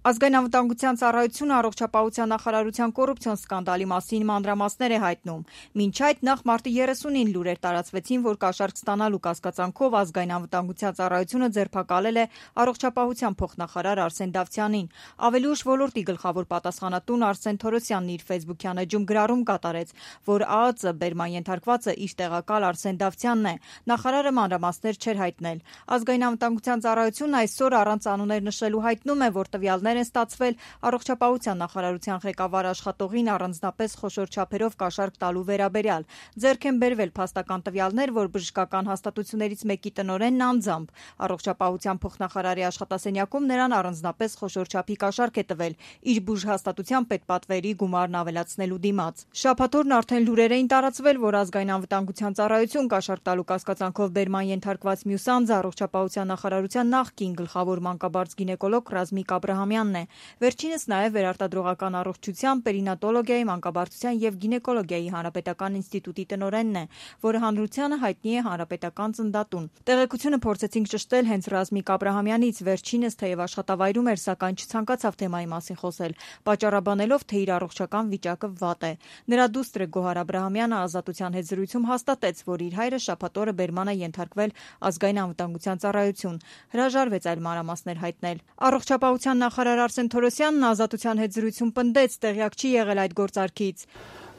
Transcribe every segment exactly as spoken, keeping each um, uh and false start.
Ազգային անվտանգության ծառայությունը առողջապահության նախարարության կոռուպցիոն սկանդալի մասին մանրամասներ է հայտնում։ Մինչ այդ նախ մարտի երեսունին լուրեր տարածվեցին, որ կաշառք ստանալու կասկածանքով ազգային անվտանգության ծառայությունը ձերբակալել է առողջապահության փոխնախարար Արսեն Դավթյանին։ Ավելի ուշ ոլորտի գլխավոր պատասխանատուն Արսեն Թորոսյանն իր ֆեյսբուքյան էջում գրառում կատարեց, որ ԱԱԾ բերման ենթարկվածը իր տեղակալ Արսեն Դավթյանն է։ Նախարարը մանրամասներ չէր հայտնել։ Ազգային անվտանգության ծառայությունն այսօր առանց անուններ նշելու հայտնում է, որ տվյալներ են ստացվել առողջապահության նախարարության ղեկավար աշխատողին առանձնապես խոշոր չափերով կաշառք տալու վերաբերյալ։ Ձեռք են բերվել փաստական տվյալներ, որ բժշկական հաստատություններից մեկի տնօրենն անձամբ առողջապահության փոխնախարարի աշխատասենյակում նրան առանձնապես խոշոր չափի կաշառք է տվել իր բուժհաստատության պետպատվերի գումարն ավելացնելու դիմաց։ Շաբաթ օրն արդեն լուրեր էին տարածվել, որ ազգային անվտանգության ծառայություն կաշառք տալու կասկածանքով բերման ենթարկված մյուս անձը առողջապահության նախարարության նախկին գլխավոր մանկաբարձ գինեկոլոգ Ռազմիկ Աբրահամյանն է։ Վերջինս նաև վերարտադրողական առողջության, պերինատոլոգիայի, մանկաբարձության եւ գինեկոլոգիայի հանրապետական ինստիտուտի տնօրենն է, որը հանրությանը հայտնի է հանրապետական ծննդատուն։ Տեղեկությունը փորձեցինք ճշտել հենց Ռազմիկ Աբրահամյանից, վերջինս թեև աշխատավայրում էր, սակայն չցանկացավ թեմայի մասին խոսել, պատճառաբանելով, թե իր առողջական վիճակը վատ է։ Նրա դուստրը Գոհար Աբրահամյանը ազատության հետ զրույցում հաստատեց, որ իր հայրը շաբաթ օրը բերման է ենթարկվել ազգային անվտանգության ծառայություն։ Հրաժարվեց այլ մանրամասներ հայտնել։ Առողջապահության նախարար Արսեն Թորոսյանն ազատության հետ զրույցում պնդեց, տեղյակ չի եղել այդ գործարքից։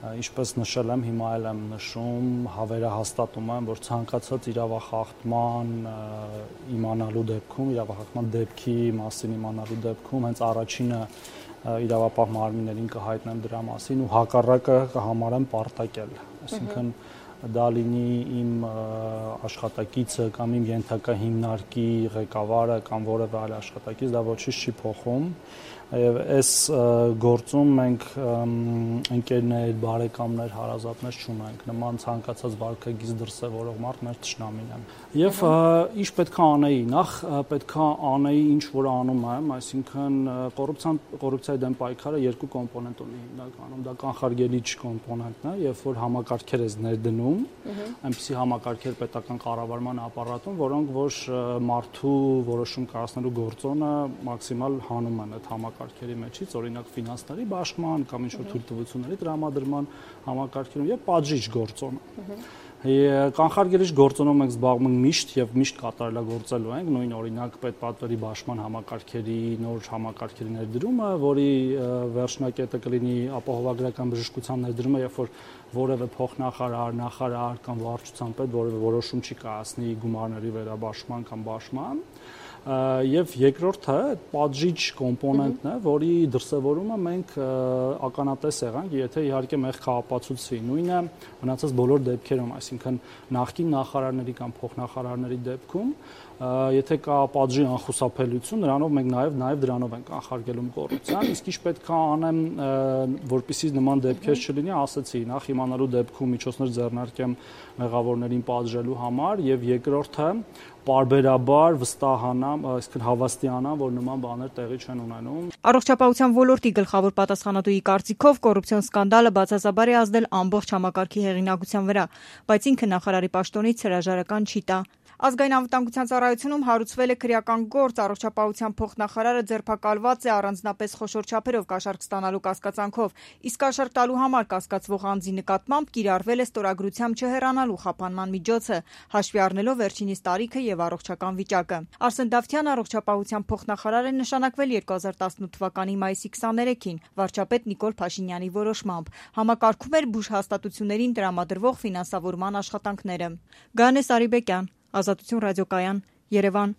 Ինչպես նշել եմ, հիմա էլ եմ նշում, հավերահաստատում եմ, որ ցանկացած իրավախախտման իմանալու դեպքում, իրավախախտման դեպքի մասին իմանալու դեպքում հենց առաջինը իրավապահ մարմիններին կհայտնեմ դրա մասին ու հակառակը կհամարեմ պարտակել։ Այսինքն դա լինի իմ աշխատակիցը կամ իմ ենթակա հիմնարկի ղեկավարը կամ որևէ այլ աշխատակից, դա ոչինչ չի փոխում։ Եվ այս գործում մենք ընկերներ, բարեկամներ, հարազատներ չունենք, նման ցանկացած վարքագիծ դրսևորող մարդ մեր թշնամին է։ Եվ ինչ պետք է անեի, նախ պետք է անեի ինչ որ անում եմ, այսինքն կոռուպցիան կոռուպցիայի դեմ պայքարը երկու կոմպոնենտ ունի հիմնականում, դա կանխարգելիչ կոմպոնենտն է, երբ որ համակարգեր ես ներդնում, այնպիսի համակարգեր պետական կառավարման ապարատում, որոնք որ մարդու որոշում կայացնելու գործոնը մաքսիմալ հանում են այդ համակարգերի մեջից, օրինակ ֆինանսների բաշխման կամ ինչ-որ թույլտվությունների տրամադրման համակարգերում եւ պատժիչ գործոնը։ Կանխարգելիչ գործոնով մենք զբաղվում ենք միշտ եւ միշտ կատարելագործելու ենք, նույն օրինակ պետպատվերի բաշխման համակարգերի նոր համակարգերի ներդրումը, որի վերջնակետը կլինի ապահովագրական բժշկության ներդրումը, երբ որ որևէ փոխնախարար, նախարար կամ վարչության պետ որևէ որոշում չի կայացնի գումարների վերաբաշխման կամ բաշխման։ Եվ երկրորդը պատժիչ կոմպոնենտն է, որի դրսևորումը մենք ականատես եղանք, եթե իհարկե մեղքը ապացուցվի, նույնը մնացած բոլոր դեպքերում, այսինքն նախկին նախարարների կամ փոխնախարարների դեպքում, եթե կա պատժի անխուսափելիություն, նրանով մենք նաև նաև դրանով ենք կանխարգելում կոռուպցիան, իսկ ինչ պետք է անեմ, որպեսզի նման դեպքեր չլինի, ասացի, նախ իմանալու դեպքում միջոցներ ձեռնարկեմ մեղավորներին պատժելու համար, եւ երկրորդը պարբերաբար վստահանամ, այսինքն հավաստիանամ, որ նման բաներ տեղի չեն ունենում։ Առողջապահության ոլորտի գլխավոր պատասխանատուի կարծիքով կոռուպցիոն սկանդալը բացասաբար է ազդել ամբողջ համակարգի հեղինակության վրա, բայց ինքը նախարարի պաշտոնից հրաժարական չի տա։ Ազգային անվտանգության ծառայությունում հարուցվել է քրեական գործ, առողջապահության փոխնախարարը ձերբակալված է առանձնապես խոշոր չափերով կաշառք ստանալու կասկածանքով, իսկ կաշառք տալու համար կասկածվող անձի նկատմամբ կիրառվել է ստորագրությամբ չհեռանալու խափանման միջոցը, հաշվի առնելով վերջինիս տարիքը եւ առողջական վիճակը։ Արսեն Դավթյանը առողջապահության փոխնախարար է նշանակվել երկու հազար տասնութ թվականի մայիսի քսաներեքին վարչապետ Նիկոլ Փաշինյանի որոշմամբ։ Համակարգում էր բուժհաստատություններին տրամադրվող ֆինանսավորման աշխատանքները։ Գայանե Սարիբեկյան, Ազատություն ռադիոկայան, Երևան։